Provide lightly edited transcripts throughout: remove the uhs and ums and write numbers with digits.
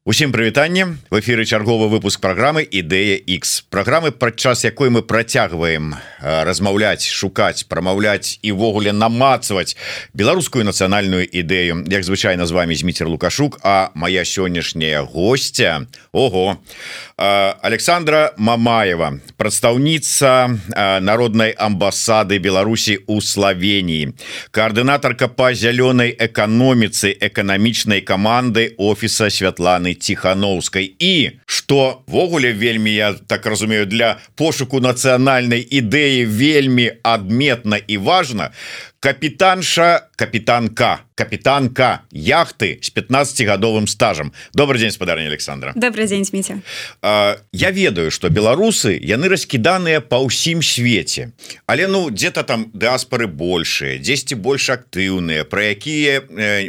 Усім прывітанне. В эфіры чарговы выпуск праграмы Ідэя X. Праграмы, падчас якой мы працягваем размаўляць, шукаць, прамаўляць і ўвогуле намацваць беларускую нацыянальную ідэю. Як звычайна з вами Зміцер Лукашук, а моя сённяшняя гостья, Александра Мамаева, прадстаўніца народнай амбасады Беларусі ў Словении, координаторка по зялёнай эканоміцы эканамічнай каманды офіса Святланы Тихановской. І што ввогуле вельмі, я так разумею, для пошуку нацыянальнай ідэі вельмі адметна і важна, капітанка яхты с 15-гадовым стажем. Добрый день, спадарня Александра. Добрый день, Смитя. Я ведаю, что беларусы, яны раскіданыя па ўсім свеце, але где-то там дыаспоры большие, дзесьці больш актыўныя, про якія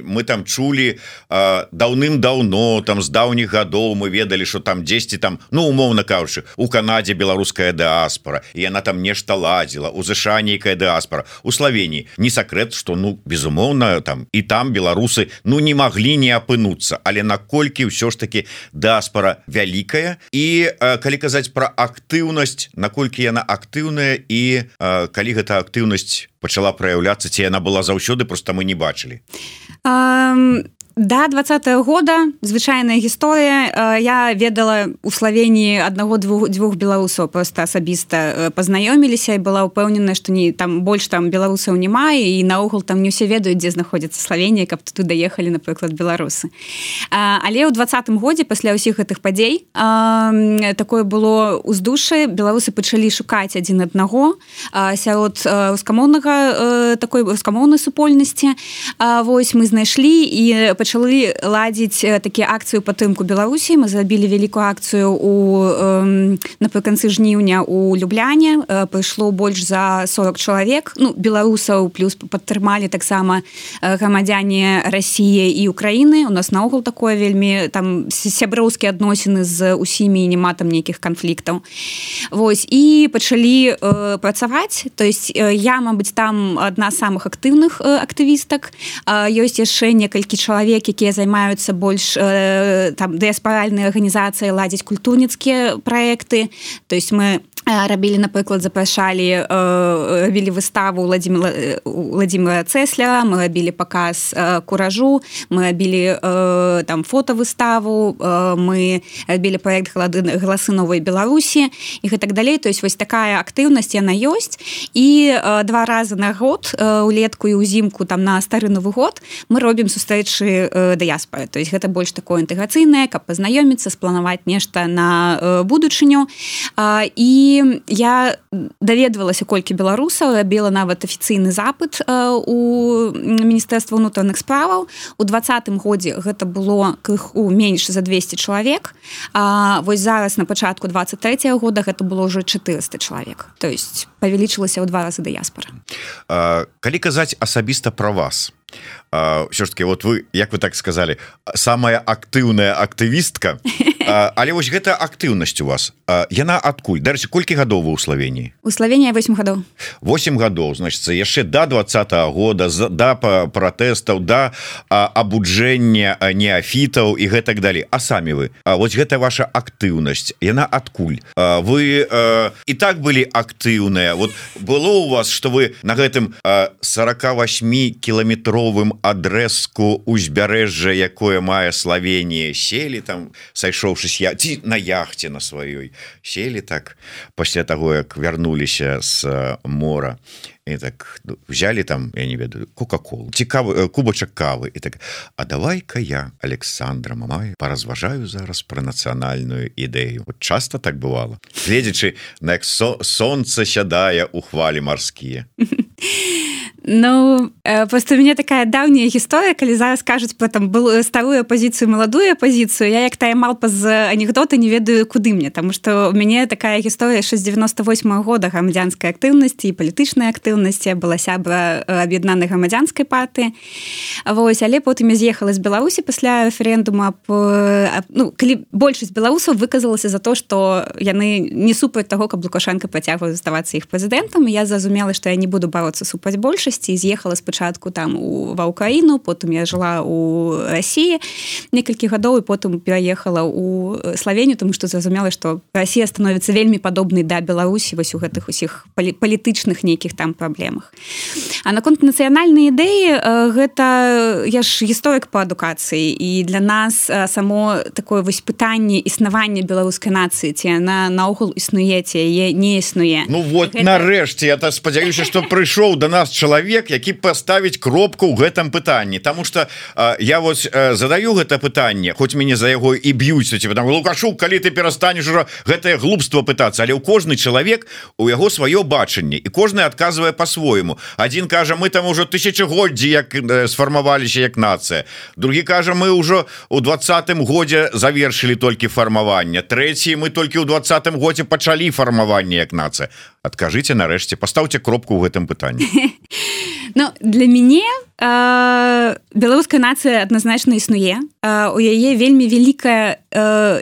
мы там чулі даўным-даўно, там з даўніх гадоў мы ведалі, что там дзесьці там, умоўна кажучы, у Канадзе беларуская дыаспора, і яна там нешта ладзіла, у ЗША нейкая дыаспора, у Словении не сакрэт, что безумоўна там і там беларусы не маглі не апынуцца, але наколькі ўсё ж таки дыаспора вялікая, і калі казаць про актыўнасць, наколькі яна актыўная, і калі гэта актыўнасць пачала праяўляцца, ці яна была заўсёды, просто мы не бачылі. Да 20-го года звычайная гісторыя. Я ведала у Словении аднаго-двух беларусаў, просто асабіста пазнаёміліся і была ўпэўнена, што там больш там беларусаў няма, і наогул там не ўсе ведаюць, дзе знаходзіцца Словенія, каб туды даехалі, напрыклад, беларусы. Але ў 20-м годзе пасля ўсіх гэтых падзей такое было ўздушша, беларусы пачалі шукаць адзін аднаго сярод такой рускамоўнай супольнасці. Вось мы знайшлі і пачалі ладзіць такія акцыі ў падтрымку Беларусі. Мы зрабілі вялікую акцыю напрыканцы жніўня у Любляне. Прыйшло больш за 40 чалавек, беларусаў, плюс падтрымалі таксама грамадзяне Расіі і Украіны. У нас наогул такое вельмі там сяброўскія адносіны з усімі, няма там нейкіх канфліктаў. Вось, і пачалі працаваць. То есть я, мабыць, там адна з самых актыўных актывістак. Ёсць яшчэ некалькі чалавек, якія займаюцца больш там дыаспаральныя арганізацыі, ладзіць культурніцкія праекты. То есть мы рабілі, напрыклад, запрашалі, рабілі выставу Владимира Цесляра, мы рабілі паказ куражу, мы рабілі там фотовыставу, мы рабілі праект «Галасы новай Беларусі» і гэтак далей. То есть вось такая актыўнасць яна ёсць. І 2 разы на год, улетку і ўзімку, там на стары Новы год, мы робім сустрэчы дыяспоры. То есть гэта больш такое інтэграцыйнае, каб пазнаёміцца, спланаваць нешта на будучыню. І я даведвалася, колькі беларусаў, рабіла нават афіцыйны запыт у Міністэрства ўнутраных справаў. У 20-м годзе гэта было крыху менш за 200 чалавек. Вось зараз на пачатку 23-го года гэта было ўжо 400 чалавек. То есть павялічылася ў 2 разы дыяспора. Калі казаць асабіста пра вас, все ж таки, вот вы, як вы так сказали, самая актыўная актывістка, але вось гэта актыўнасць у вас, яна адкуль? Дарэчы, колькі гадоў вы ў Словении? У Словении 8 гадоў. 8 гадоў, значит, яшчэ до 20-го года, до пратэстаў, до абуджэння неафітаў і гэтак далей. А самі вы, вось гэта ваша актыўнасць, яна адкуль? Вы і так былі актыўныя. Вот было у вас, что вы на гэтым 48-кіламетровым адрэзку узбярэжжа, якое мае Словенія, сели там, сайшоўшыся ці на яхте на сваёй, сели так пасля таго, як вярнуліся з мора, і так взяли там, я не ведаю, кока-колу, кубачак кавы, і так, а давай-ка я, Александра Мамаева, паразважаю зараз пра нацыянальную ідэю. Вот часто так бывало, гледзячы на як сонца сядае у хвалі марскія. Просто у меня такая давняя гісторыя, калі зараз кажуць про там старую апозіцыю, маладую апозіцыю, я як тая малпа з анекдота не ведаю, куды мне, тому што у мяне такая гісторыя яшчэ з 98-го года грамадзянскай актыўнасці і палітычнай актыўнасці. Я была сябра аб'яднанай грамадзянскай партыі. Вось, але потым я з'ехала з Беларусі пасля рэферэндума. Калі большасць беларусаў выказалася за то, што яны не супраць таго, каб Лукашенко працягваў заставацца іх прэзідэнтам, я зразумела, што я не буду бароцца супраць большасці, большасці, з'ехала спачатку там ва Ўкраіну, потым я жыла ў Расіі некалькі гадоў і потым пераехала ў Славенію, тому што зразумела, што Расія становіцца вельмі падобнай да Беларусі вось у гэтых усіх палітычных нейкіх там праблемах. А наконт нацыянальнай ідэі, гэта я ж гісторык па адукацыі, і для нас само такое вось пытанне існавання беларускай нацыі, ці яна наогул існуе, ці яе не існуе. Ну вот гэта... нарэшце я спадзяюся, што прыйшоў до нас чалавек, які паставіць кропку ў гэтым пытанні, тому что я вот задаю гэта пытанне, хоць мяне за яго і б'юць, Лукашук, калі ты перастанеш ужо гэтае глупства пытацца, але ў кожны чалавек у яго сваё бачанне, і кожны адказвае по-свойму. Адзін кажа, мы там ужо тысячагоддзі як сфармаваліся як нацыя, другі кажа, мы ўжо у 20-м годзе завершылі толькі фармаванне, трэці, мы толькі ў 20-м годзе пачалі фармаванне як нацыя. Адкажыце нарэшце, пастаўце кропку ў гэтым пытанні. Ну, для мяне беларуская нацыя адназначна існуе. У яе вельмі вялікая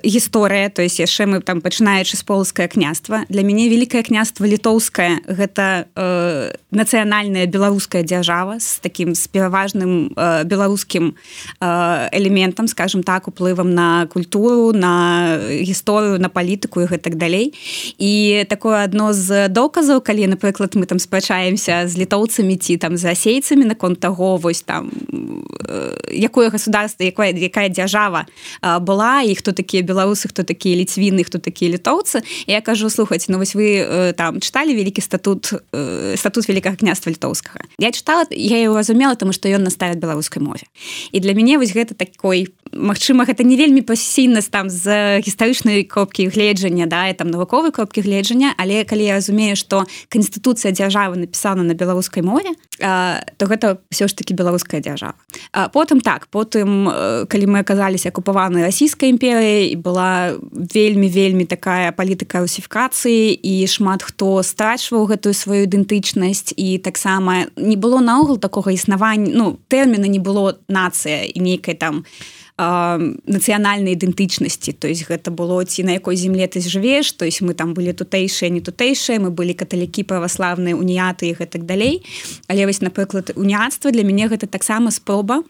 гісторыя, то есть яшчэ мы там пачынаючы з полацкае княства. Для мяне вялікае княства літоўскае гэта нацыянальная беларуская дзяржава з такім з пераважным беларускім элементам, скажем так, уплывам на культуру, на гісторыю, на палітыку і гэтак далей. І такое адно з доказаў, калі, напрыклад, мы там спрачаемся з літоўцамі ці там з расейцамі наконт таго, вось там якое государство, якая дзяржава была, і хто такія беларусы, хто такія ліцвіны, хто такія літоўцы. І я кажу, слухайце, ну вось вы там чыталі вялікі статут Вялікага княства літоўскага. Я чытала, я яго разумела, тому што ён настаіць беларускай мове. І для мяне вось гэта такой, магчыма, гэта не вельмі пасійна там з гістарычнай кропкі гледжання, да, і там навуковай кропкі гледжання, але калі я разумею, што канстытуцыя дзяржавы напісана на беларускай мове, то гэта ўсё ж такі беларуская дзяржава. Потым калі мы аказаліся акупаванай расійскай імперыяй, і была вельмі такая палітыка русіфікацыі, і шмат хто страчваў гэтую сваю ідэнтычнасць, і таксама не было наогул такога існавання, ну, тэрміна не было нацыя і нейкай там нацыянальнай ідэнтычнасці, то есть гэта было ці на якой земле ты жывеш, то есть мы там былі тутэйшыя, не тутэйшыя, мы былі каталікі, праваслаўныя, уніяты і гэтак далей. Але вось, напрыклад, уніяцтва для мяне гэта таксама спроба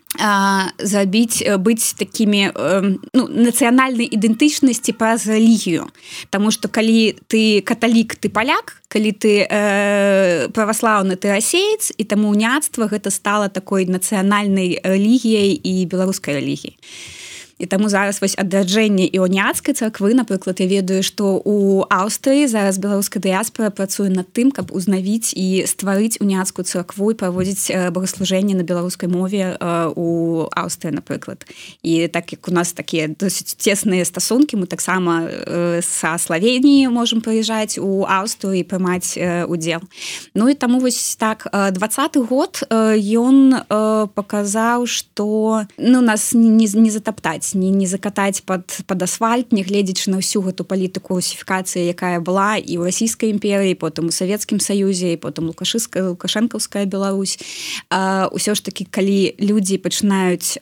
быць такімі нацыянальнай ідэнтычнасці праз рэлігію. Таму што калі ты каталік, ты паляк, калі ты праваслаўны, ты расеец, і таму уніяцтва гэта стала такой нацыянальнай рэлігіяй і беларускай рэлігіяй. І таму зараз вось адраджэнне іоніяцкай царквы, напрыклад, я ведаю, што ў Аўстрыі зараз беларуская дыяспара працуе над тым, каб узнавіць і стварыць уніяцкую царкву і праводзіць богаслужэнне на беларускай мове у Аўстрыі, напрыклад. І так як у нас такія досыць цесныя стасункі, мы таксама са Славеніі можам прыязджаць у Аўстрыю і прымаць удзел. Ну і таму вось так 20-й год ён паказаў, што нас не затаптаць, не закатаць пад асфальт, не гледзячы на ўсю гэту палітыку русіфікацыі, якая была і ў расійскай імперыі, потым у Савецкім Саюзе, і потым лукашэнкаўская Беларусь. Усё ж такі, калі людзі пачынаюць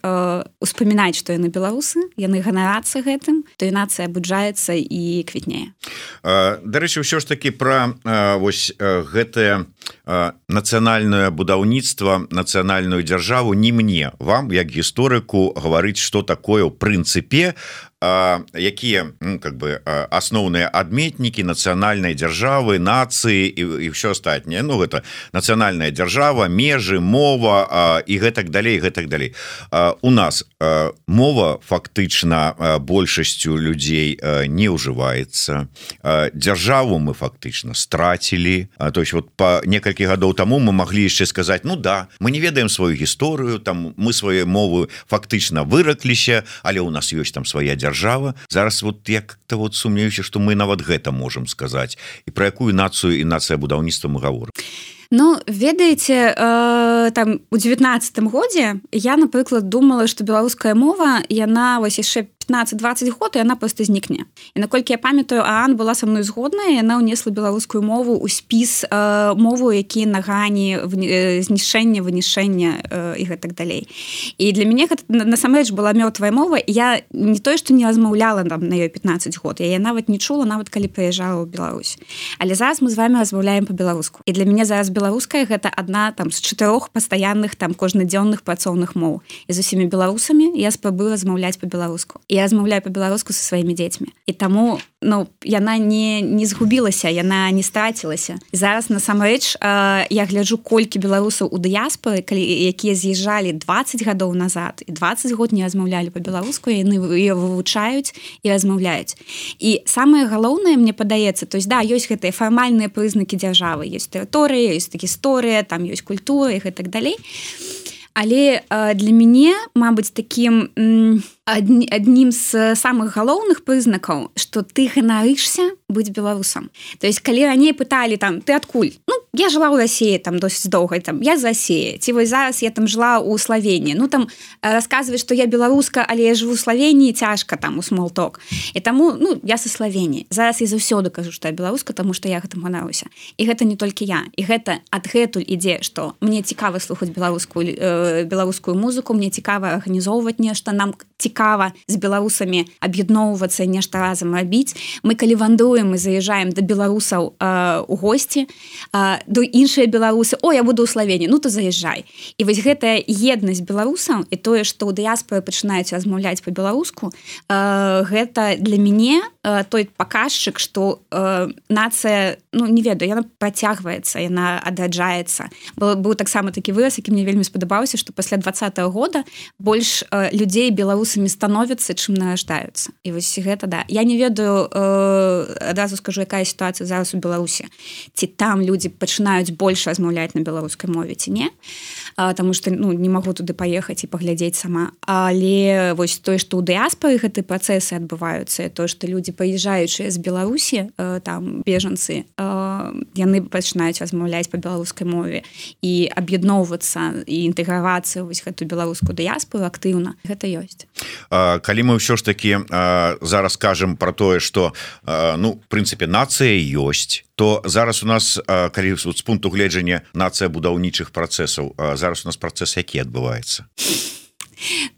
успамінаць, што яны беларусы, яны ганарацца гэтым, то і нацыя абуджаецца і квітнее. Дарэчы, ўсё ж такі пра вось гэтае нацыянальнае будаўніцтва, нацыянальную дзяржаву не мне, вам, як гісторыку, гаварыць, што такое ў прынцыпе, якія асноўныя адметнікі нацыянальнай дзяржавы, нацыі і ўсё астатняе. Ну, гэта нацыянальная дзяржава, межы, мова і гэтак далей, гэтак далей. У нас мова фактычна большасцю людзей не ўжываецца. Дзяржаву мы фактычна страцілі. То есть вот па некалькі гадоў таму мы маглі яшчэ сказаць, ну да, мы не ведаем сваю гісторыю, там мы свае мовы фактычна выракліся, але ў нас ёсць там свая дзяржава. Зараз вот я как-то вот сумнеюся, што мы нават гэта можам сказаць. І пра якую нацыю і нацыябудаўніцтва мы гаворым. Ну, ведаеце, там у 19-м годзе я, напрыклад, думала, што беларуская мова, яна вось яшчэ 15-20 год і яна просто знікне. І наколькі я памятаю, Аан была са мной згодная, яна ўнесла беларускую мову ў спіс мову, які на грані знішэння, вынішэння і гэтак далей. І для мяне гэта насамрэч была мёртвая мова, і я не тое, што не размаўляла там на ёй 15 год, я нават не чула, нават калі прыязджала ў Беларусь. Але зараз мы з вами размаўляем па-беларуску. І для мяне зараз беларуская гэта адна там з 4 пастаянных там кожнадзённых працоўных моў. І з усімі беларусамі я спрабую размаўляць па-беларуску. І я размаўляю па-беларуску са сваімі дзецьмі. І таму, яна не згубілася, яна не страцілася. І зараз насамрэч я гляджу, колькі беларусаў у дыяспоры, якія з'язджалі 20 гадоў назад і 20 год не размаўлялі па-беларуску, яны яе вывучаюць і размаўляюць. І самае галоўнае, мне падаецца, то есть, да, ёсць гэтыя фармальныя прызнакі дзяржавы, ёсць тэрыторыя, ёсць гісторыя, там ёсць культура і гэтак далей. Але для мяне, мабыць, такім аднім з самых галоўных прызнакаў, што ты ганарышся быць беларусам. То есть, калі раней пыталі там, ты адкуль? Я жила ў Расіі там досыць доўга, там я з Расіі. Ці вось зараз я там жыла ў Славенії. Там расказваць, што я беларуска, але я жыву ў Славенії, цяжка там у смолток. І таму, я са Славенії. Зараз я заўсёды кажу, што я беларуска, таму што я гэтым ганаруся. І гэта не толькі я. І гэта адгэтуль ідзе, што мне цікава слухаць беларускую музыку, мне цікава арганізоўваць нешта, нам цікава з беларусамі аб'ядноўвацца і нешта разам рабіць. Мы калі вандруем і заязджаем да беларусаў у госці, до іншыя беларусы, я буду ў Славенії, то заязджай. І вось гэтая еднасць беларусаў і тое, што ў дыяспоры пачынаюць размаўляць па-беларуску, гэта для мяне той паказчык, што нацыя, не ведаю, яна працягваецца, яна адраджаецца. Быў таксама такі выраз, які мне вельмі спадабаўся, што пасля 20-го года больш людзей беларусамі становяцца, чым нараждаюцца. І вось гэта, да. Я не ведаю, адразу скажу, якая сітуацыя зараз у Беларусі. Ці там людзі пачынаюць больш размаўляць на беларускай мове, ці не. Таму што, не магу туды паехаць і паглядзець сама. Але вось тое, што ў дыяспоры гэтыя працэсы адбываюцца, тое, што людзі прыязджаючыя з Беларусі, там бежанцы, яны пачынаюць размаўляць па беларускай мове і аб'ядноўвацца і інтэгравацца вось гэту беларускую дыяспору актыўна. Гэта ёсць. Калі мы ўсё ж такі зараз кажам пра тое, што в прынцыпе нацыя ёсць, то зараз у нас, калі з пункту гледжання нацыя будаўнічых працэсаў, зараз у нас працэс які адбываецца?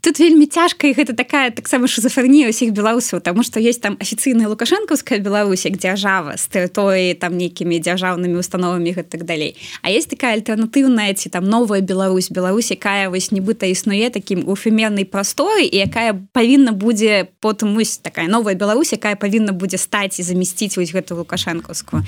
Тут вельмі цяжка, і гэта такая таксама шизофрэнія ўсіх беларусаў, таму што ёсць там афіцыйная лукашэнкаўская Беларусь як дзяржава з тэрыторыі там нейкімі дзяржаўнымі установамі і так далей. А ёсць такая альтэрнатыўная ці там новая Беларусь, якая вось нібыта існуе такім у эфемернай прасторы і якая павінна будзе потым вось такая новая Беларусь, якая павінна будзе стаць і замясціць вось гэту лукашэнкаўскую.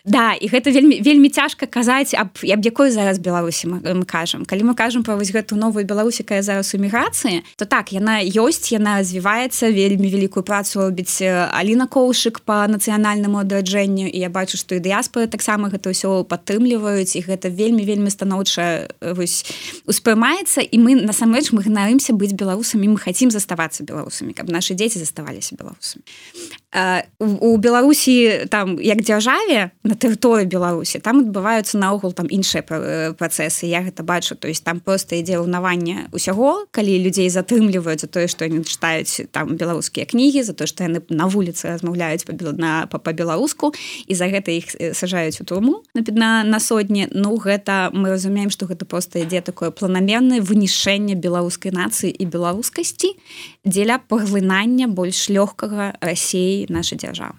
Да, і гэта вельмі цяжка казаць аб якой зараз Беларусі мы кажам. Калі мы кажам пра вось гэту новую Беларусь, якая зараз у міграцыі, то так, яна ёсць, яна развіваецца, вельмі вялікую працу робіць Аліна Коўшык па нацыянальнаму адраджэнню, і я бачу, што і дыяспоры таксама гэта ўсё падтрымліваюць, і гэта вельмі станоўча успрымаецца, і мы насамрэч мы ганарымся быць беларусамі, мы хацім заставацца беларусамі, каб нашы дзеці заставаліся беларусамі. У Беларусі там як дзяржаве на тэрыторыі Беларусі там адбываюцца наогул там іншыя працэсы, я гэта бачу, то есть там просто ідзе ўнаванне ўсяго, калі людзей затрымліваюць за тое, што яны чытаюць там беларускія кнігі, за тое, што яны на вуліцы размаўляюць па-беларуску, і за гэта іх сажаюць у турму на сотні. Гэта мы разумеем, што гэта просто ідзе такое планамернае вынішэнне беларускай нацыі і беларускасці дзеля паглынання больш лёгкага Расіі нашай дзяржавы.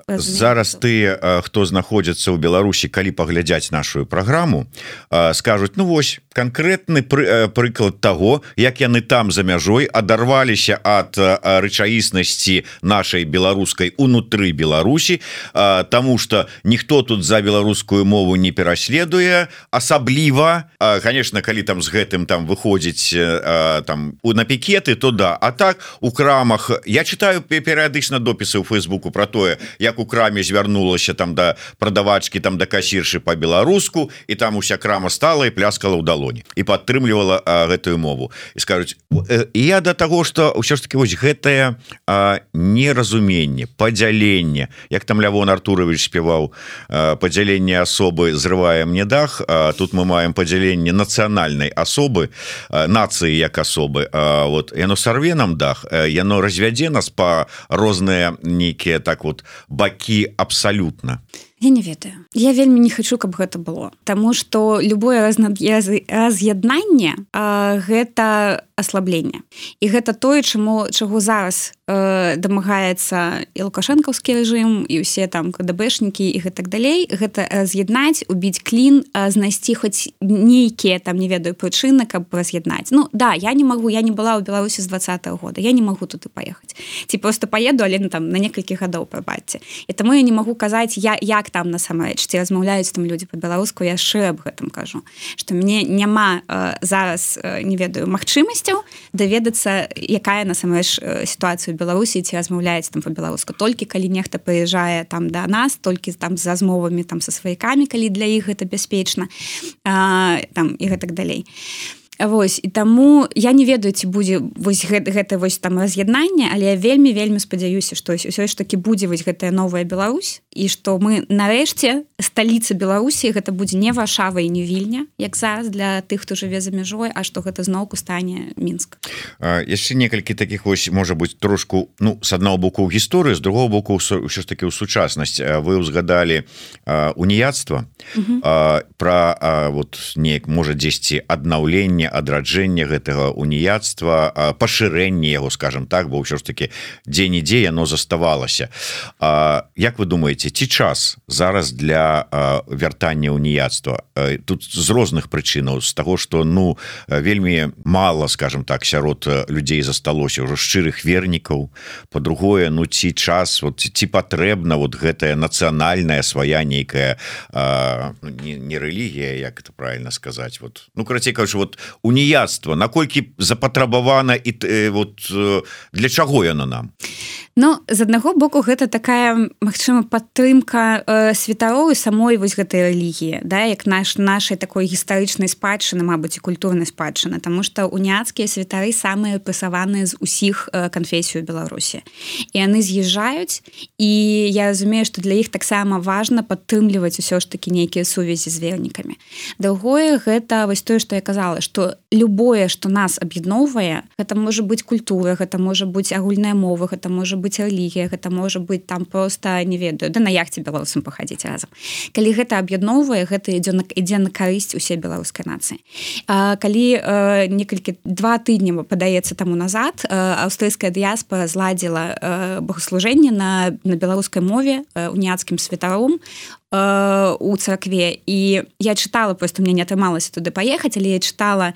Зараз ты, хто знаходзіцца ў Беларусі, калі паглядзяць нашу праграму, скажуць, вось канкрэтны прыклад таго, як яны там за мяжой адарваліся ад рэчаіснасці нашай беларускай унутры Беларусі, таму што ніхто тут за беларускую мову не пераследуе, асабліва, конечно, калі там з гэтым там выходзіць там на пікеты, то да, а так у крамах я читаю перыядычна допісы ў Фейсбуку про тое, як у краме звярнулася там да прадавачкі, там да касіршы по-беларуску, і там уся крама стала і пляскала ў далоні і падтрымлівала гэтую мову. І скажуць, я да таго, што ўсё ж таки вось гэтае неразуменне, падзяленне, як там Лявон Артурович спяваў, падзяленне асобы зрывае мне дах, тут мы маем падзяленне нацыянальнай асобы, нацыі як асобы, вот яно сарве нам дах, яно развядзе нас па розныя нейкія так вот бакі абсалютна. Я не ведаю. Я вельмі не хочу, каб гэта было. Таму што любое раз'яднанне гэта аслабленне. І гэта тое, чаго зараз дамагаецца і лукашэнкаўскі рэжым, і ўсе там КДБшнікі і гэтак далей. Гэта раз'яднаць, убіць клін, знайсці хоць нейкія там, не ведаю, прычыны, каб раз'яднаць. Ну, да, я не магу, я не была ў Беларусі з 20-го года. Я не магу туды паехаць. Ці просто паеду, але там на некалькі гадоў, прабачце. І таму я не магу казаць, як там насамрэч, ці размаўляюць там людзі па-беларуску, я яшчэ аб гэтым кажу, што мне няма зараз, не ведаю, магчымасцяў даведацца, якая насамрэч сітуацыя ў Беларусі, ці размаўляюць там па-беларуску. Толькі калі нехта прыязджае там да нас, толькі там з размовамі там са сваякамі, калі для іх гэта бяспечна, там і гэтак далей. Вось, і таму я не ведаю, ці будзе вось гэта вось там раз'яднанне, але я вельмі спадзяюся, што ўсё ж такі будзе вось гэтая новая Беларусь, і што мы нарэшце сталіца Беларусі, гэта будзе не Варшава і не Вільня, як зараз для тых, хто жыве за мяжой, а што гэта зноўку стане Мінск. Яшчэ некалькі такіх вось, можа быць, трошку, ну, з аднаго боку ў гісторыі, з другого боку ўсё ж такі ў сучаснасць. Вы ўзгадалі уніяцтва, пра вот неяк, можа, дзесьці аднаўленне, адраджэнне гэтага уніяцтва, пашырэнне яго, скажем так, бо ўсё ж таки дзе-нідзе яно заставалася. Як вы думаеце, ці час зараз для вяртання уніяцтва? Тут з розных прычынаў, з таго, што, ну, вельмі мала, скажем так, сярод людзей засталося ўжо шчырых вернікаў. Па-другое, ну, ці час, вот, ці патрэбна вот гэтая нацыянальная свая нейкая не рэлігія, як это правильно сказаць, вот, ну, карацей кажучы, вот уніяцтва, наколькі запатрабавана і вот для чаго яно нам? Ну, з аднаго боку, гэта такая, магчыма, падтрымка святароў і самой вось гэтай рэлігіі, да, як нашай такой гістарычнай спадчыны, мабыць, і культурнай спадчыны, таму што уніяцкія святары самыя рэпрэсаваныя з усіх канфесій у Беларусі. І яны з'язджаюць, і я разумею, што для іх таксама важна падтрымліваць усё ж такі нейкія сувязі з вернікамі. Другое, гэта вось тое, што я казала, што любое, што нас аб'ядноўвае, гэта можа быць культура, гэта можа быць агульная мова, гэта можа быць рэлігія, гэта можа быць там проста, не ведаю, да на яхце беларусам пахадзіць разам. Калі гэта аб'ядноўвае, гэта ідзе на карысць усе беларускай нацыі. Калі некалькі 2 тыдні, падаецца, таму назад, аўстрыйская дыяспара зладзіла богаслужэнне на беларускай мове уніяцкім святаром у царкве, і я чытала, просто мне не атрымалася туды паехаць, але я чытала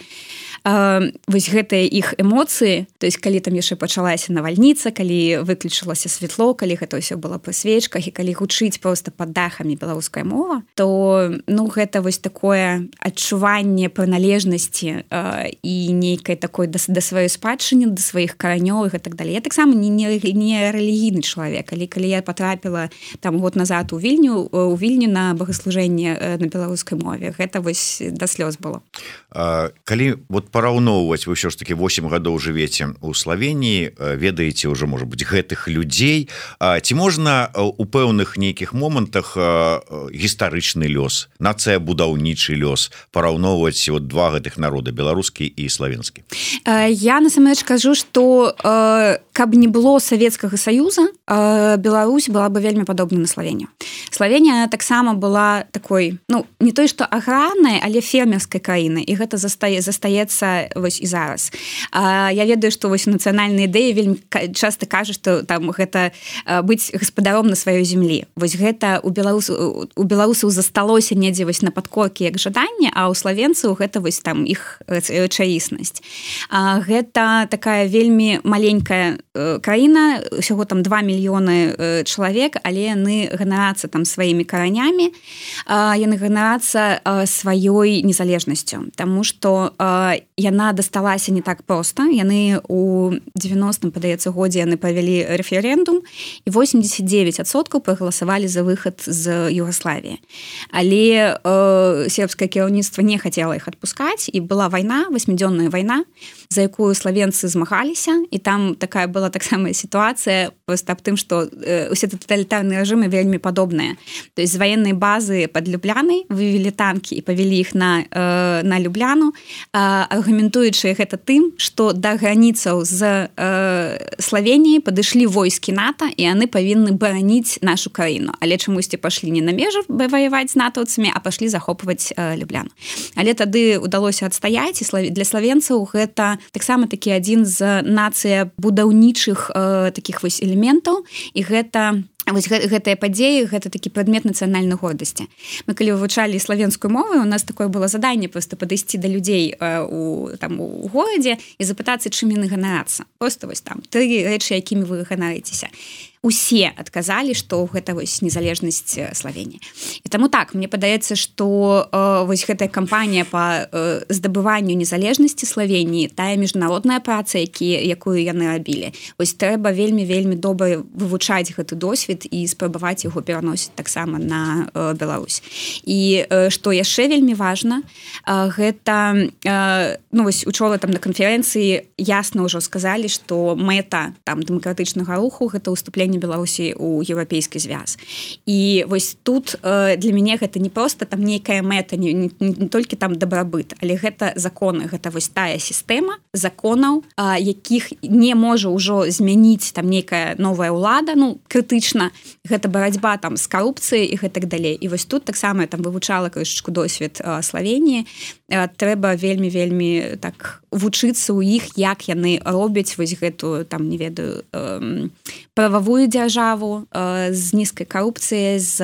вось гэтыя іх эмоцыі, то есть калі там яшчэ пачалася навальніца, калі выключылася святло, калі гэта ўсё было пры свечках, і калі гучыць просто пад дахамі беларуская мова, то, ну, гэта вось такое адчуванне прыналежнасці і нейкай такой да сваёй спадчыны, да сваіх каранёў і гэтак далей. Я таксама не рэлігійны чалавек, калі я патрапіла там год назад у Вільню на богаслужэнне на беларускай мове, гэта вось да слёз было. Калі вот параўноўваць, вы ўсё ж таки 8 гадоў жывеце ў Славеніі, ведаеце ўжо, можа быць, гэтых людзей, ці можна у пэўных нейкіх момантах гістарычны лёс, нацыябудаўнічы лёс параўноўваць вот 2 гэтых народа, беларускі і славенскі? Я насамрэч кажу, што каб не было Савецкага Саюза, Беларусь была бы вельмі падобна на Славенію. Славенія таксама была такой, ну, не той, што аграрнай, але фермерскай краінай, і гэта застаецца вось і зараз. Я ведаю, што вось нацыянальныя ідэі вельмі часта кажуць, што там гэта быць гаспадаром на сваёй зямлі. Вось гэта у беларусаў засталося недзе вось на падкоркі як жаданне, а ў славенцаў гэта вось там іх рэчаіснасць. Гэта такая вельмі маленькая краіна, усяго там 2 мільёны чалавек, але яны ганарацца там там сваімі каранямі, яны ганарацца сваёй незалежнасцю, таму што яна дасталася не так проста. Яны у 90-м, падаецца, годзе яны правялі рэферэндум, і 89% прагаласавалі за выхад з Югаславіі. Але сербскае кіраўніцтва не хацела іх адпускаць, і была вайна, 8-дзённая вайна, за якую славенцы змагаліся, і там такая была таксама сітуацыя проста аб тым, што усе таталітарныя рэжымы вельмі падобныя. То есть з ваеннай базы пад Люблянай вывелі танкі і павялі іх на Любляну, аргументуючы гэта тым, што да граніцаў з Славеніяй падышлі войскі НАТО, і яны павінны бараніць нашу краіну. Але чамусьці пашлі не на межы ваяваць з натаўцамі, а пашлі захопваць Любляну. Але тады ўдалося адстаяць, і для славенцаў гэта таксама такі адзін з нацыя будаўнічых такіх вось элементаў, і гэта вось гэтыя падзеі, гэта такі прадмет нацыянальнай гордасці. Мы калі вывучалі славенскую мову, у нас такое было заданне проста падысці да людзей у горадзе і запытацца, чым яны ганарацца. Проста вось там 3 рэчы, якімі вы ганарыцеся. Усе адказалі, што гэта вось незалежнасць Славеніі. І таму так, мне падаецца, што вось гэтая кампанія па здабыванню незалежнасці Славеніі, тая міжнародная праца, якую яны рабілі, вось трэба вельмі добра вывучаць гэты досвед і спрабаваць яго пераносіць таксама на Беларусь. І што яшчэ вельмі важна, гэта вось учора там на канферэнцыі ясна ўжо сказалі, што мэта там дэмакратычнага руху гэта ўступленне Беларусі ў еўрапейскі звяз. І вось тут для мяне гэта не проста там нейкая мэта, не толькі там дабрабыт, але гэта законы, гэта вось тая сістэма законаў, якіх не можа ўжо змяніць там нейкая новая ўлада, крытычна, гэта барацьба там з карупцыяй і гэтак далей. І вось тут таксама я там вывучала крышачку досвед Славеніі, трэба вельмі так вучыцца ў іх, як яны робяць вось гэту там, не ведаю, прававую дзяржаву з нізкай карупцыяй, з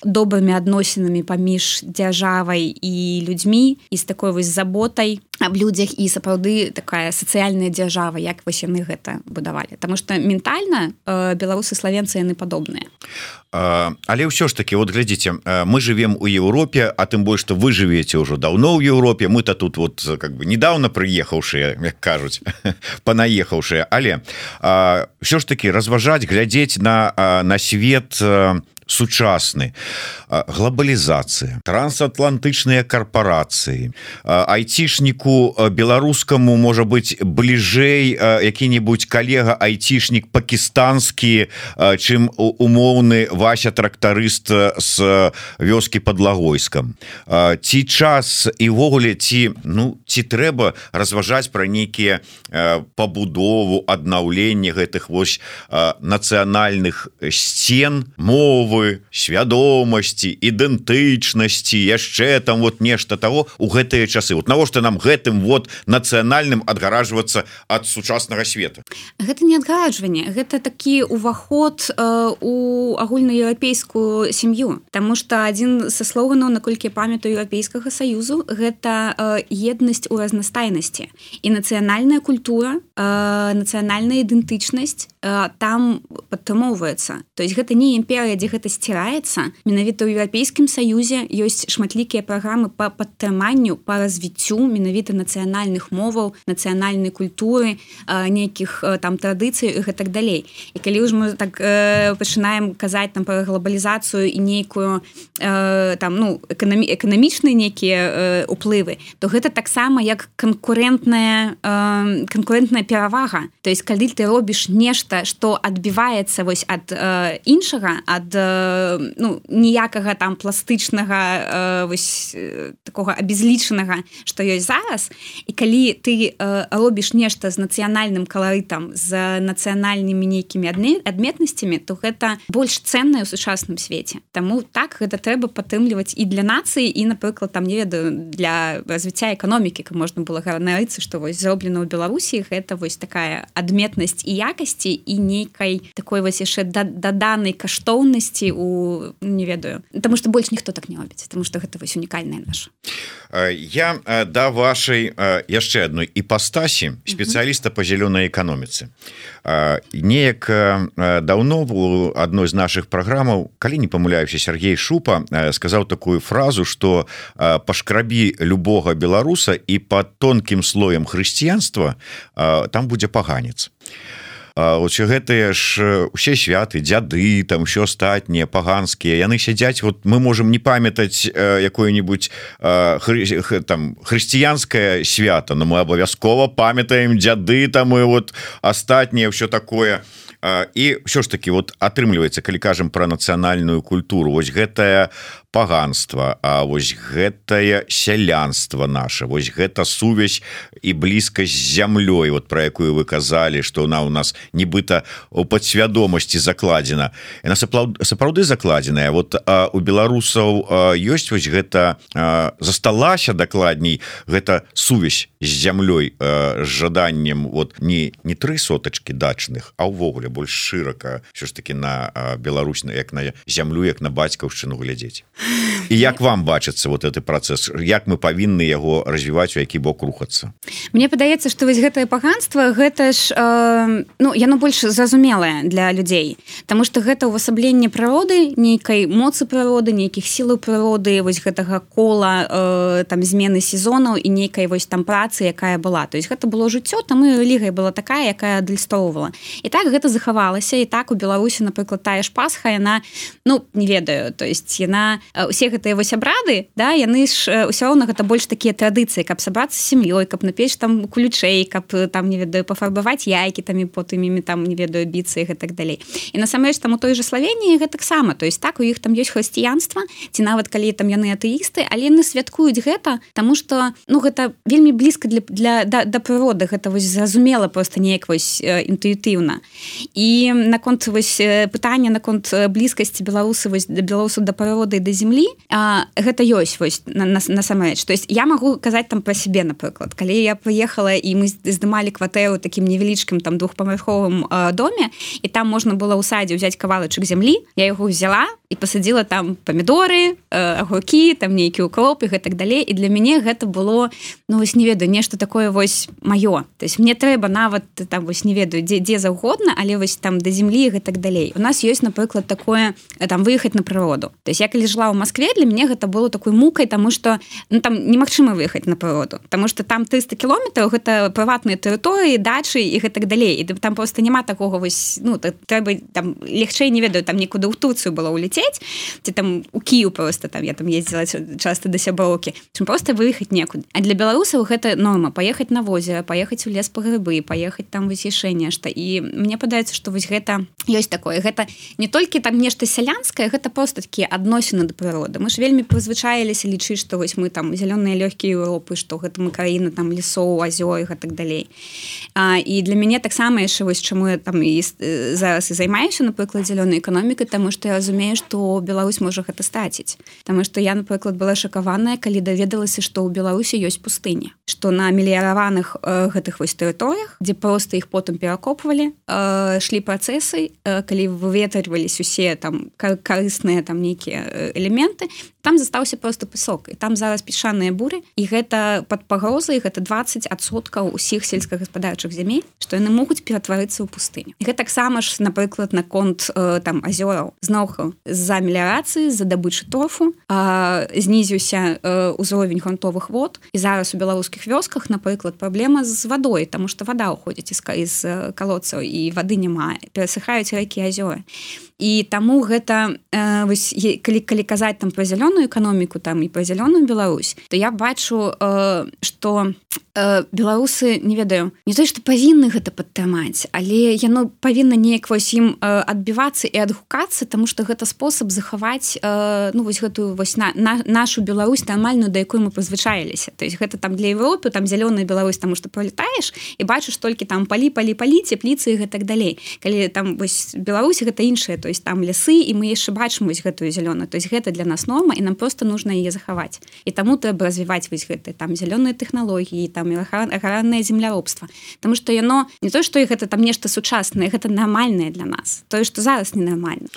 добрымі адносінамі паміж дзяржавай і людзьмі, і з такой вось заботай аб людзях, і сапраўды такая сацыяльная дзяржава, як вось яны гэта будавалі. Таму што ментальна беларусы, славенцы, яны падобныя. Але ўсё ж таки, вот глядзіце, мы живем у Европе, а тым больш, што вы живете ўжо даўно ў Европе, мы-то тут вот как бы недавно прыехаўшыя, як кажуць, панаехаўшыя, але ўсё ж таки разважаць, глядзець на свет сучасны, глобалізацыя, трансатлантычныя карпорацыі, айцішніку беларускаму можа быць бліжэй які-небудзь калега айцішнік пакістанскі, чым умоўны Вася трактарыст з вёскі пад Лагойскам. Ці час і ўвогуле ці трэба разважаць пра нейкія пабудову, аднаўленне гэтых вось нацыянальных сцен, мовы, свядомасці, ідэнтычнасці, яшчэ там вот нешта таго у гэтыя часы. Вот навошта нам гэтым вот нацыянальным адгаражвацца ад сучаснага света? Гэта не адгаражванне, гэта такі уваход у агульнаеўрапейскую сям'ю. Таму што адзін са слоганаў, наколькі я памятаю, Еўрапейскага саюзу, гэта еднасць у разнастайнасці. І нацыянальная культура, нацыянальная ідэнтычнасць там падтрымоўваецца. То есть гэта не імперыя, дзе гэта сціраецца. Менавіта ў Еўрапейскім саюзе ёсць шматлікія праграмы па падтрыманню, па развіццю менавіта нацыянальных моваў, нацыянальнай культуры, нейкіх там традыцый і гэтак далей. І калі ўжо мы так пачынаем казаць там пра глобалізацыю і нейкую там эканамічныя нейкія уплывы, то гэта таксама як канкурэнтная перавага. То есть калі ты робіш нешта, што адбіваецца вось ад іншага, ад ніякага там пластычнага вось такога абезлічанага, што ёсць зараз, і калі ты робіш нешта з нацыянальным каларытам, з нацыянальнымі нейкімі адметнасцямі, то гэта больш цэннае ў сучасным свеце. Таму так, гэта трэба падтрымліваць і для нацыі, і, напрыклад, там, не ведаю, для развіцця эканомікі, каб можна было ганарыцца, што вось зроблена ў Беларусі, гэта вось такая адметнасць і якасці, і нейкай такой такой вось яшчэ даданай каштоўнасці у не ведаю, потому что больш ніхто так не робіць, потому что гэта вось унікальная наша. Я да вашай яшчэ адной іпастасі спецыяліста по зялёнай эканоміцы. Неяк даўно у адной з нашых праграмаў, калі не памыляюся, Сергей Шупа сказаў такую фразу, што пашкрабі любога беларуса і под тонкім слоем хрысціянства там будзе паганец. Гэтыя ж усе святы, дзяды, там ўсё астатнія паганскія, яны сядзяць, вот мы можем не памятаць якое-нибудь там хрысціянскае свята, но мы абавязкова памятаем дзяды там і вот астатніе ўсё такое. І ўсё ж таки вот атрымліваецца, калі кажам пра нацыянальную культуру, вось гэтае паганства, а вось гэтае сялянства наше, вось гэта сувязь і блізкасць з зямлёй, вот про якую вы казалі, што она у нас нібыта у падсвядомасці закладзена. Яна сапраўды закладзеная. Вот у беларусаў ёсць вось гэта, засталася дакладней гэта сувязь з зямлёй, з жаданнем вот не 3 сотачкі дачных, а ўвогуле больш шырака ўсё ж таки на Беларусь, як на зямлю, як на бацькаўшчыну глядзець. І як вам бачыцца вот гэты працэс, як мы павінны яго развіваць, у які бок рухацца? Мне падаецца, што вось гэтае паганства, гэта ж яно больш зразумелае для людзей, таму што гэта ўвасабленне прыроды, нейкай моцы прыроды, нейкіх сілаў прыроды, вось гэтага кола там змены сезонаў і нейкай вось там працы, якая была. То есть гэта было жыццё, там і рэлігія была такая, якая адлюстроўвала. І так гэта захавалася, і так у Беларусі, напрыклад, тая ж Пасха, яна, не ведаю, то есть яна, усе гэтыя вось абрады, да, яны ж ўсё роўна гэта больш такія традыцыі, каб сабрацца з сям'ёй, каб напечь там кулючэй, каб там, не ведаю, пафарбаваць яйкі там і потым імі там, не ведаю, біцца і гэтак далей. І насамрэч там у той жа Славеніі гэтаксама, то есть так у іх там ёсць хрысціянства, ці нават калі там яны атэісты, але яны святкуюць гэта, таму што гэта вельмі блізка да прыроды, гэта вось зразумела просто неяк вось інтуітыўна. І наконт вось пытання наконт блізкасці беларусаў да прыроды і да зямлі, гэта ёсць вось насамрэч. То есть я магу казаць там пра сябе, напрыклад, калі я прыехала і мы здымалі кватэру такім невялічкім там двухпавярховым доме, і там можна было ў садзе ўзяць кавалачак зямлі, я яго взяла і пасадзіла там памідоры, агуркі, там нейкі укроп і гэтак далей. І для мяне гэта было, вось не ведаю, нешта такое вось маё. То есть мне трэба нават там вось не ведаю, дзе заўгодна, але вось там да зямлі і гэтак далей. У нас ёсць, напрыклад, такое там выехаць на прыроду. То есть я калі жила ў Маскве, для мяне гэта было такой мукай, таму што там немагчыма выехаць на прыроду, таму што там 300 кілометраў гэта прыватныя тэрыторыі, дачы і гэтак далей. І там просто няма такога вось, трэба там легчэй, не ведаю, там нікуды ў Турцыю было ўлецець, ці там у Кіеў просто там я там ездзіла часта да сяброўкі, чым просто выехаць некуды. А для беларусаў гэта норма, паехаць на возера, паехаць у лес па грыбы, паехаць там вось яшчэ нешта. І мне падаецца, што вось гэта ёсць такое. Гэта не толькі там нешта сялянскае, гэта просто такія адносіны да прыроды. Мы ж вельмі прызвычаіліся лічыць, што вось мы там зялёныя лёгкія Еўропы, што гэта мы краіна там лесоў, азёр і гэтак далей. І для мяне таксама яшчэ вось чаму я там і зараз і займаюся, напрыклад, зялёнай эканомікай, таму што я разумею, што Беларусь можа гэта страціць. Таму што я, напрыклад, была шакаваная, калі даведалася, што ў Беларусі ёсць пустыня, што на меліяраваных гэтых вось тэрыторыях, дзе проста іх потым перакопвалі, шлі працэсы, калі выветрываліся усе там карысныя там нейкія элементы, там застаўся просто песок, і там зараз пясчаныя буры, і гэта пад пагрозай, гэта 20% усіх сельскагаспадарчых зямель, што яны могуць ператварыцца ў пустыню. І гэта таксама ж, напрыклад, наконт там азёраў. Зноўку з-за меліярацыі, з-за дабычы торфу знізіўся ўзровень грунтовых вод, і зараз у беларускіх вёсках, напрыклад, праблема з вадой, таму што вада ўходзіць з калодцаў, і вады няма, перасыхаюць рэкі, азёры. І таму гэта вось калі казаць там пра зялёную эканоміку там і пра зялёную Беларусь, то я бачу, што беларусы, не ведаю, не то што павінны гэта падтрымаць, але яно павінна неяк вось ім адбівацца і адгукацца, таму што гэта спосаб захаваць вось гэтую вось нашу Беларусь нармальную, да якой мы прызвычаіліся. То есть гэта там для Европы, там зялёная Беларусь, таму што пролетаеш і бачыш толькі там палі, цепліцы і гэтак далей. Калі там вось Беларусь гэта іншае, то то есть там лясы і мы яшчэ бачым вось гэтую зялёную, то есть гэта для нас норма і нам просто нужно яе захаваць і таму трэба развіваць вось гэты там зялёныя тэхналогіі там аграрнае земляробства, потому что яно не то што гэта там нешта сучаснае, гэта нармальнае для нас, тое што зараз ненармальна.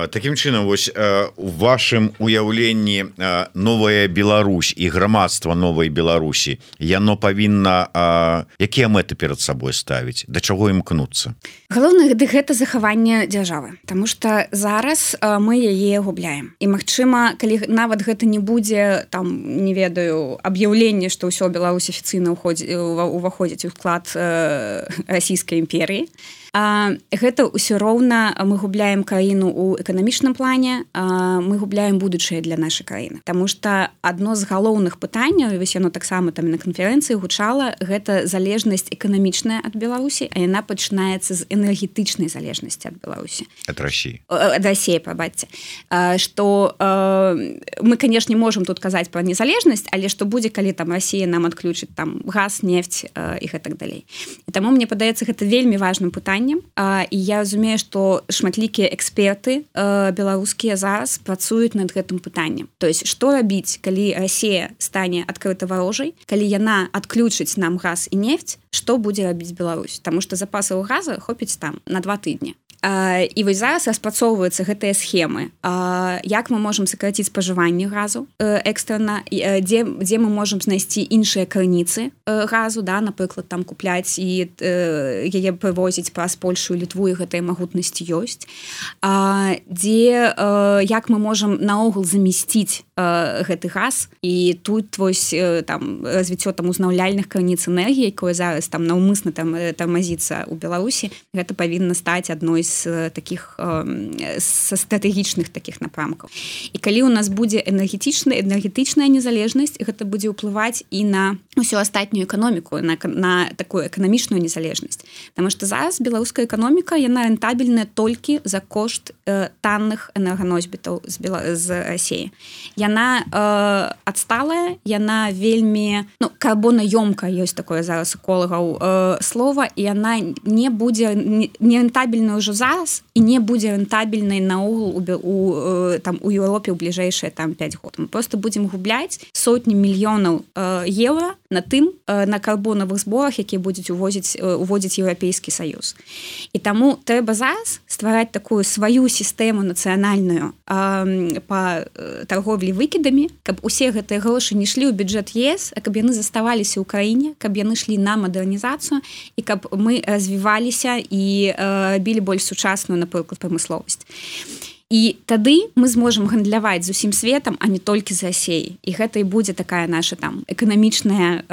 Такім чынам вось у вашым уяўленні новая Беларусь і грамадства новай Беларусі яно павінна якія мэты перад сабой ставіць, да чаго імкнуцца? Галоўнае гэта захаванне дзяржавы, потому что зараз мы яе губляем і магчыма калі нават гэта не будзе там не ведаю аб'яўленне што ўсё Беларусь афіцыйна уваходзіць у склад расійскай імперіі, гэта ўсё роўна мы губляем краіну ў эканамічным плане, мы губляем будучае для нашай краіны, потому что адно з галоўных пытанняў, вось яно таксама там на канферэнцыі гучала, гэта залежнасць эканамічная ад Беларусі, а яна пачынаецца з энергетычнай залежнасці ад Беларусі, ад России, пабачце, што мы конечно можем тут казаць про незалежнасць, але што будзе калі там Россия нам адключыць там газ, нефть і гэтак далей. І таму мне падаецца гэта вельмі важным пытаннем. І я разумею, што шматлікія эксперты беларускія зараз працуюць над гэтым пытаннем. То есть што рабіць, калі Россия стане адкрыта варожай, калі яна адключыць нам газ і нефть, што будзе рабіць Беларусь, таму што запасаў газа хопіць там на 2 тыдні. І вось зараз распрацоўваюцца гэтыя схемы, як мы можам сакраціць спажыванне газу экстрана, дзе мы можам знайсці іншыя крыніцы газу, да, напрыклад там купляць і яе прывозіць праз Польшу і Літву, і гэтая магутнасць ёсць, дзе як мы можам наогул замесціць гэты газ, і тут вось там развіццё там узнаўляльных крыніц энергіі, якое зараз там наўмысна там тармазіцца ў Беларусі, гэта павінна стаць адной з таких са стратэгічных таких напрамкаў. І калі у нас будзе энергетычная незалежнасць, гэта будзе ўплываць і на ўсю астатнюю эканоміку, на такую эканамічную незалежнасць. Таму што зараз беларуская эканоміка яна рэнтабельная толькі за кошт танных энерганосьбітаў з Расіі. Яна адсталая, яна вельмі карбонаёмкая, ёсць такое зараз эколагаў слова, і яна не будзе не рэнтабельная ўжо зараз і не будзе рэнтабельнай наогул у Еўропе ў бліжэйшыя там 5 год. Мы просто будзем губляць сотні мільёнаў еўра на тым на карбонавых зборах, якія будуць уводзіць Еўрапейскі Саюз. І таму трэба зараз ствараць такую сваю сістэму нацыянальную па торговлі выкідамі, каб усе гэтыя грошы не шлі ў бюджэт ЕС, а каб яны заставаліся ў краіне, каб яны шлі на мадэрнізацыю і каб мы развіваліся і рабілі больш сучасную, напрыклад, прамысловасць. І тады мы зможам гандляваць з усім светам, а не толькі з Расіяй. І гэта і будзе такая наша там эканамічная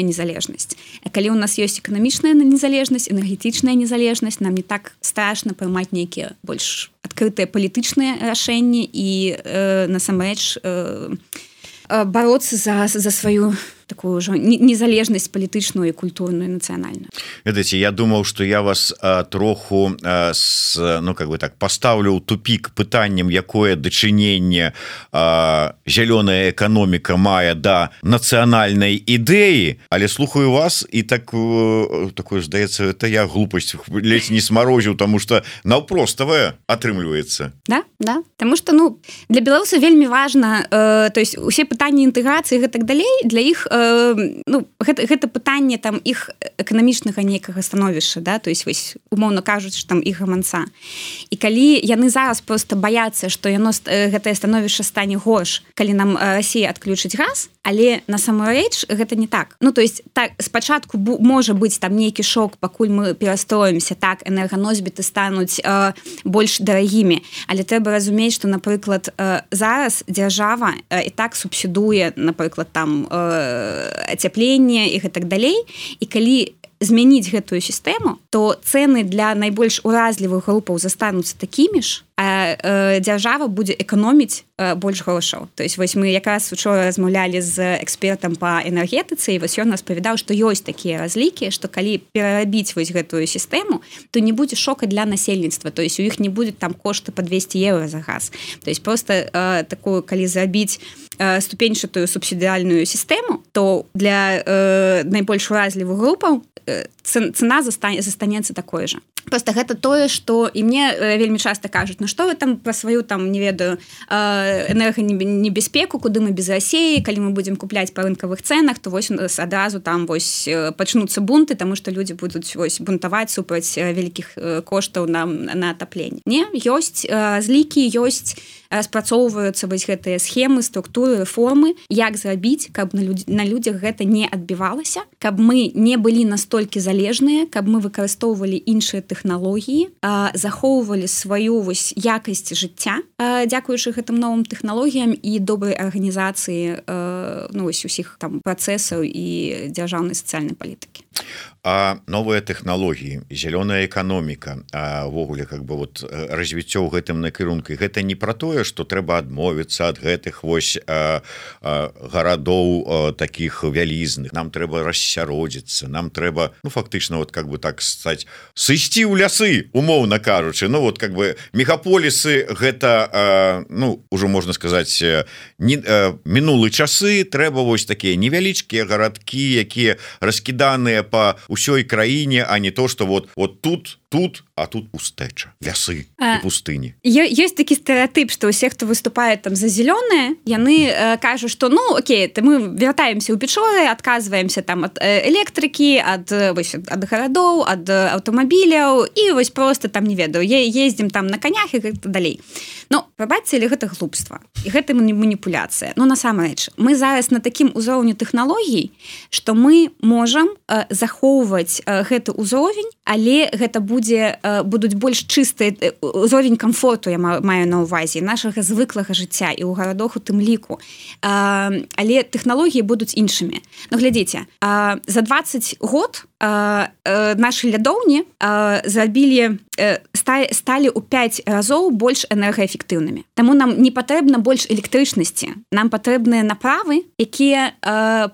незалежнасць. А калі у нас ёсць эканамічная незалежнасць, энергетычная незалежнасць, нам не так страшна прымаць нейкія больш адкрытыя палітычныя рашэнні і насамрэч бароцца за сваю такую ўжо незалежнасць палітычную і культурную і нацыянальную. Ведаеце, я думаў, што я вас троху пастаўлю ў тупік пытаннем, якое дачыненне зялёная эканоміка мае да нацыянальнай ідэі, але слухаю вас і такое, здаецца, это я глупасць ледзь не смарозіў, таму што наўпроставае атрымліваецца. Да, таму што для беларуса вельмі важна, то есть усе пытанні інтэграцыі і гэтак далей, для іх гэта пытанне там іх эканамічнага нейкага становішча, да, то есть вось умоўна кажуць, там іх гаманца. І калі яны зараз просто баяцца, што гэтае становішча стане горш, калі нам Расія адключыць газ, але насамрэч гэта не так. То есть так спачатку можа быць там нейкі шок, пакуль мы перастроімся, так энерганосьбіты стануць больш дарагімі, але трэба разумець, што напрыклад зараз дзяржава і так субсідуе, напрыклад там ацяпленне і гэтак далей, і калі змяніць гэтую сістэму, то цэны для найбольш уразлівых групаў застануцца такімі ж, а дзяржава будзе эканоміць больш грошаў. То есть вось мы якраз учора размаўлялі з экспертам па энергетыцы, і вось ён распавядаў, што ёсць такія разлікі, што калі перарабіць вось гэтую сістэму, то не будзе шока для насельніцтва, то есть у іх не будзе там кошты па 200 еўра за газ. То есть просто такую, калі зрабіць ступеньчатую субсідыяльную сістэму, то для найбольш уразлівых групаў цена застанецца такой же. Просто гэта тое, што і мне вельмі часта кажуць, ну што вы там пра сваю там не ведаю энерганебяспеку, куды мы без Расіі, калі мы будзем купляць па рынкавых цэнах, то вось адразу там вось пачнуцца бунты, таму што людзі будуць вось бунтаваць супраць вялікіх коштаў на атапленне. Не, ёсць злікі, ёсць спрацоўваюцца вось гэтыя схемы, структуры, формы, як зрабіць, каб на людзях гэта не адбівалася, каб мы не былі настолькі залежныя, каб мы выкарыстоўвалі іншыя тэхналогіі, захоўвалі сваю вось якасць жыцця, дзякуючы гэтым новым тэхналогіям і добрай арганізацыі ну, вось усіх там працэсаў і дзяржаўнай сацыяльнай палітыкі. А новыя тэхналогіі, зялёная эканоміка, увогуле как бы вот развіццё ў гэтым накірунку, гэта не пра тое, што трэба адмовіцца ад гэтых вось гарадоў такіх вялізных. Нам трэба рассяродзіцца, нам трэба, ну фактычна вот как бы так сказать, сысці ў лясы, умоўна кажучы. Ну вот как бы мегаполісы гэта, ну ужо можна сказаць, мінулы часы, трэба вось такія невялічкія гарадкі, якія раскіданыя по ўсёй краіне, а не то, что вот тут, а тут пустэча, лясы і пустыні. Ёсць такі стэеатып, што ўсе, хто выступае там за зялёнае, яны кажуць, што ну окей, то мы вяртаемся ў Печоры, адказваемся там ад электрыкі, ад гарадоў, ад аўтамабіляў і вось просто там не ведаю, ездзім там на канях і гэта далей. Ну, прабачце, але гэта глупства і гэта маніпуляцыя. Ну насамрэч, мы зараз на такім узроўні тэхналогій, што мы можам захоўваць гэты ўзровень, але гэта будуць больш чыстыя ўзровень камфорту, я маю на ўвазе, нашага звыклага жыцця і ў гарадах у тым ліку. Але тэхналогіі будуць іншымі. Ну глядзіце, за 20 год нашы лядоўні сталі ў 5 разоў больш энергаэфектыўнымі. Таму нам не патрэбна больш электрычнасці. Нам патрэбныя направы, якія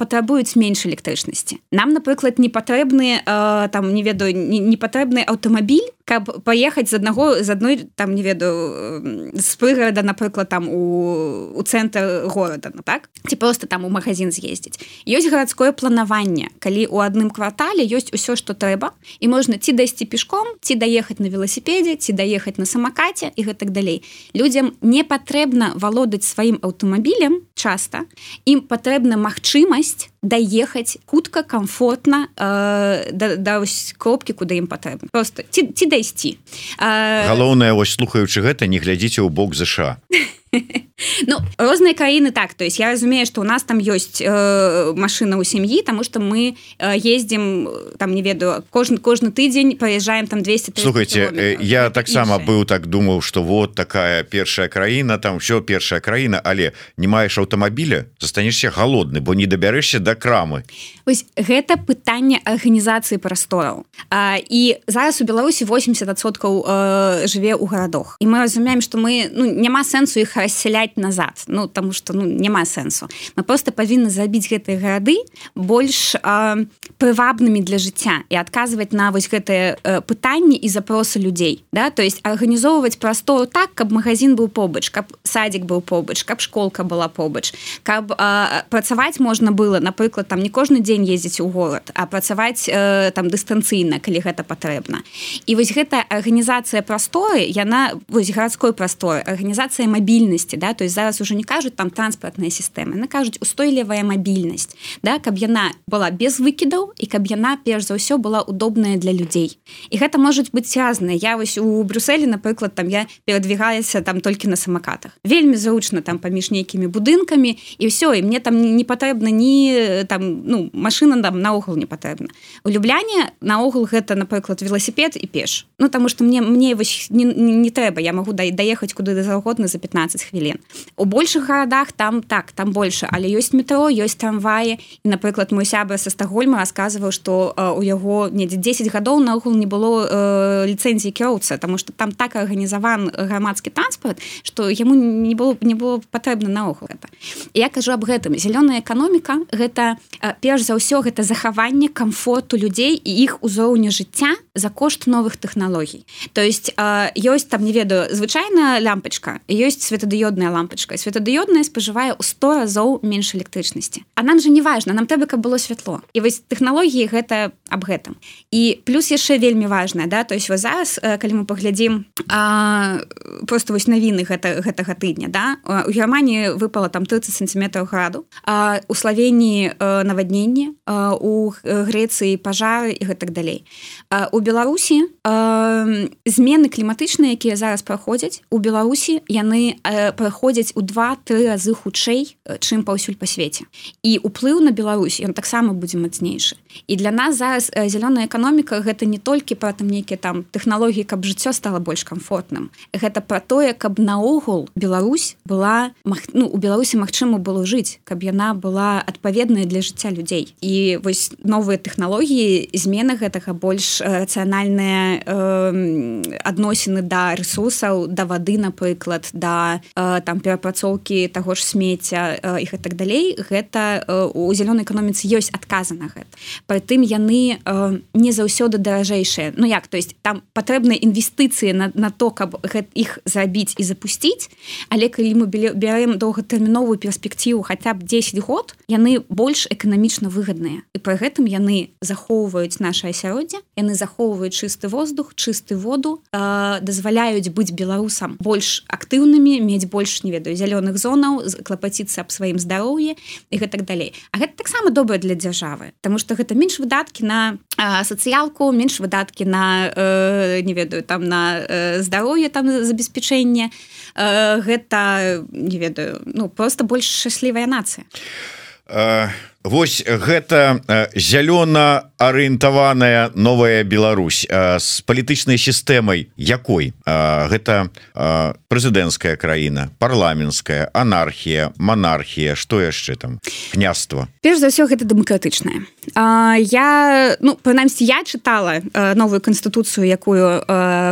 патрабуюць менш электрычнасці. Нам, напрыклад, не патрэбны там, не ведаю, не патрэбны аўтамабіль, каб паехаць з адной там, не ведаю, з прыгарада, напрыклад, там у цэнтр горада, ну так? Ці проста там у магазин з'ездзіць. Ёсць гарадское планаванне, калі ў адным квартале ёсць усё, што трэба, і можна ці дайсці пешком, ці даехаць на веласіпедзе, ці даехаць на самакаце і гэтак далей. Людзям не патрэбна валодаць сваім аўтамабілем часта, ім патрэбна магчымасць даехаць хутка, комфортна да кропкі, куды ім патрэбна. Просто ці дайсці. Галоўнае, вось слухаючы гэта, не глядзіце ў бок ЗША. Ну, розныя краіны так, то есть я разумею, што у нас там ёсць машына ў сям'і, таму што мы ездзім там, не ведаю, кожны тыдзень праязджаем там 200-300 Слухайте, километров. Я таксама быў так думаў, што вот такая першая краіна, там ўсё першая краіна, але не маеш аўтамабіля, застанешся галодны, бо не дабярэшся да крамы. Вось гэта пытанне арганізацыі прастораў. І зараз у Беларусі 80% жыве ў гарадах. І мы разумеем, што мы, ну, няма сэнсу іх рассяляць назад, ну, таму што ну, няма сэнсу. Мы просто павінны зрабіць гэтыя гарады больш прывабнымі для жыцця і адказваць на вось гэтыя пытанні і запросы людзей. Да? То есть арганізоўваць прастору так, каб магазин быў побач, каб садик быў побач, каб школка была побач, каб працаваць можна было, напрыклад, там не кожны дзень ездзіць у горад, а працаваць там дыстанцыйна, калі гэта патрэбна. І вось гэтая арганізацыя прасторы, яна, вось гарадской прасторы, арганізацыя мабільнасці, да, то есть зараз уже не кажуць там транспартная сістэма, яны кажуць устойлівая мабільнасць, да, каб яна была без выкідаў і каб яна перш за ўсё была удобная для людзей. І гэта можуць быць разная. Я вось у Брюсселі, напрыклад, там я перадвігалася там толькі на самакатах. Вельмі зручна там паміж нейкімі будынкамі і ўсё, і мне там не патрэбна ні там, ну, машына там наогул не патрэбна. У Любляне наогул гэта, напрыклад, веласіпед і пеш. Ну, таму што мне вось не трэба, я магу даехаць куды заўгодна за 15 хвілін. У большых гарадах там так, там больше, але ёсць метро, ёсць трамваі. І, напрыклад, мой сябра са Стакгольма расказваў, што у яго недзе 10 гадоў наогул не было ліцэнзіі кіроўца, таму што там так арганізаван грамадскі транспарт, што яму не было патрэбна наогул гэта. І я кажу аб гэтым. Зялёная эканоміка гэта перш за ўсё гэта захаванне камфорту людзей і іх узроўня жыцця за кошт новых тэхналогій. То есть ёсць там, не ведаю, звычайная лямпачка, ёсць светадыёдная лампачка. Светадыёдная спажывае ў 100 разоў менш электрычнасці. А нам же не важна, нам трэба, каб было святло. І вось тэхналогіі гэта аб гэтым. І плюс яшчэ вельмі важна, да, то есть вот зараз, калі мы паглядзім просто вось навіны гэтага тыдня, да, у Германії выпала там 30 сантиметров граду, у Словенії наводненне, у Грэцыі пажары і гэтак далей. У Беларусі змены кліматычныя, якія зараз праходзяць, у Беларусі яны праходзяць у 2-3 разы хутчэй, чым паўсюль па свеце. І ўплыў на Беларусь, ён таксама будзе мацнейшы. І для нас зараз зялёная эканоміка гэта не толькі пра там нейкія там тэхналогіі, каб жыццё стала больш комфортным. Гэта пра тое, каб наогул Беларусь была, ну, у Беларусі магчыма было жыць, каб яна была адпаведная для жыцця людзей. І вось новыя тэхналогіі, змены гэтага, больш рацыянальныя адносіны да рэсурсаў, да вады, напрыклад, да там перапрацоўкі таго ж смецця і гэтак далей, гэта у зялёнай эканоміцы ёсць адказы на гэта. Прытым яны не заўсёды даражэйшыя. Ну як, то есть там патрэбныя інвестыцыі на то, каб іх зрабіць і запусціць, але калі мы бярэм доўгатэрміновую перспектыву хаця б 10 год, яны больш эканамічна выгадныя. І пры гэтым яны захоўваюць наша асяроддзе, яны захоўваюць чысты воздух, чысты воду, дазваляюць быць беларусам больш актыўнымі, мець больш, не ведаю, зялёных зонаў, клапаціцца аб сваім здароўі і гэтак далей. А гэта таксама добра для дзяржавы, таму што гэта менш выдаткі на сацыялку, менш выдаткі на, не ведаю, там на здароўе, там забеспячэнне. Гэта, не ведаю, ну, просто больш шчаслівая нацыя. Вось гэта зялёна арыентаваная новая Беларусь з палітычнай сістэмай якой? Гэта прэзідэнцкая краіна, парламенцкая, анархія, манархія, што яшчэ там? Княства? Перш за ўсё, гэта дэмакратычная. Я, ну, прынамсі, я чытала новую канстытуцыю, якую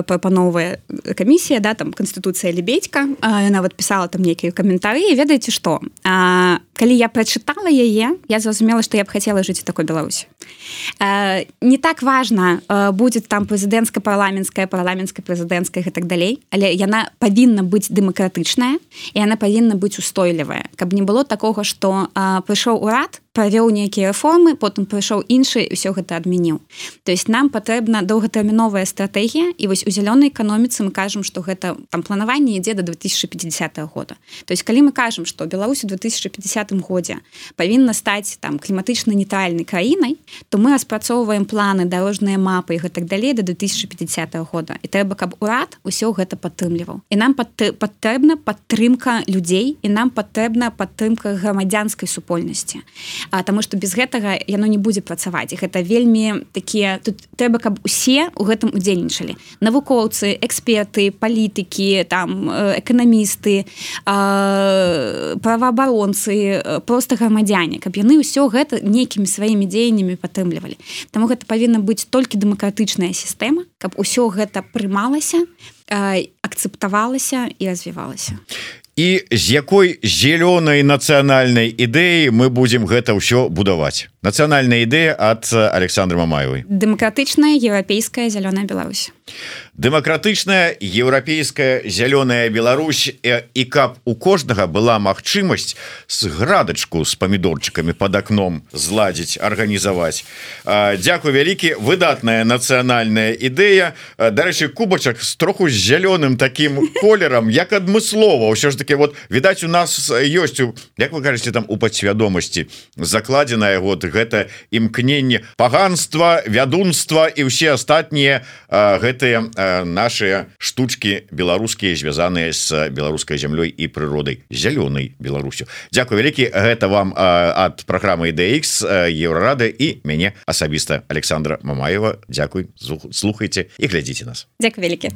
прапановвае камісія, да, там канстытуцыя Лебедька, нават пісала там нейкія каментары, і ведаеце што? Калі я прачытала яе, я зразумела, што я б хацела жыць у такой Беларусі. Не так важна, будзе там прэзідэнцкая, парламенцкая, прэзідэнцкая і так далей, але яна павінна быць дэмакратычная, і яна павінна быць устойлівая, каб не было такога, што прыйшоў урад, правёў нейкія рэформы, потым прыйшоў іншы і ўсё гэта адмяніў. То есть нам патрэбна доўгатэрміновая стратэгія, і вось у зялёнай эканоміцы мы кажам, што гэта там планаванне ідзе да 2050 года. То есть калі мы кажам, што Беларусь у 2050 годзе павінна стаць там кліматычна нейтральнай краінай, то мы распрацоўваем планы, дарожныя мапы і гэтак далей да 2050 года. І трэба, каб урад усё гэта падтрымліваў. І нам патрэбна падтрымка людзей, і нам патрэбна падтрымка грамадзянскай супольнасці. Таму што без гэтага яно не будзе працаваць. І гэта вельмі такія, тут трэба, каб усе ў гэтым удзельнічалі. Навукоўцы, эксперты, палітыкі, там эканамісты, праваабаронцы, проста грамадзяне, каб яны ўсё гэта нейкімі сваімі дзеяннямі падтрымлівалі. Таму гэта павінна быць толькі дэмакратычная сістэма, каб усё гэта прымалася, акцэптавалася і развівалася. І з якой зялёнай нацыянальнай ідэі мы будзем гэта ўсё будаваць? Нацыянальная ідэя ад Александры Мамаевай. Дэмакратычная еўрапейская зялёная Беларусь. Дэмакратычная еўрапейская зялёная Беларусь, і каб у кожнага была магчымасць з градачку з памідорчыкамі пад акном зладзіць, арганізаваць. Дзякуй вялікі, выдатная нацыянальная ідэя. Дарэчы, кубачак з троху з зялёным такім колерам, як адмыслова. Ўсё ж таки, вот, відаць, у нас ёсць, як вы кажаце, там у падсвядомасці закладзеная вот гэта імкненне паганства, вядунства і ўсе астатнія гэтыя наши штучки беларускія, звязаныя з беларускай зямлёй і прыродай, зялёнай Беларусю. Дзякуй вялікі, гэта вам ад праграмы IDX, Еўрарады і мяне асабіста Александра Мамаева. Дзякуй, слухайце і глядзіце нас. Дзякуй вялікі.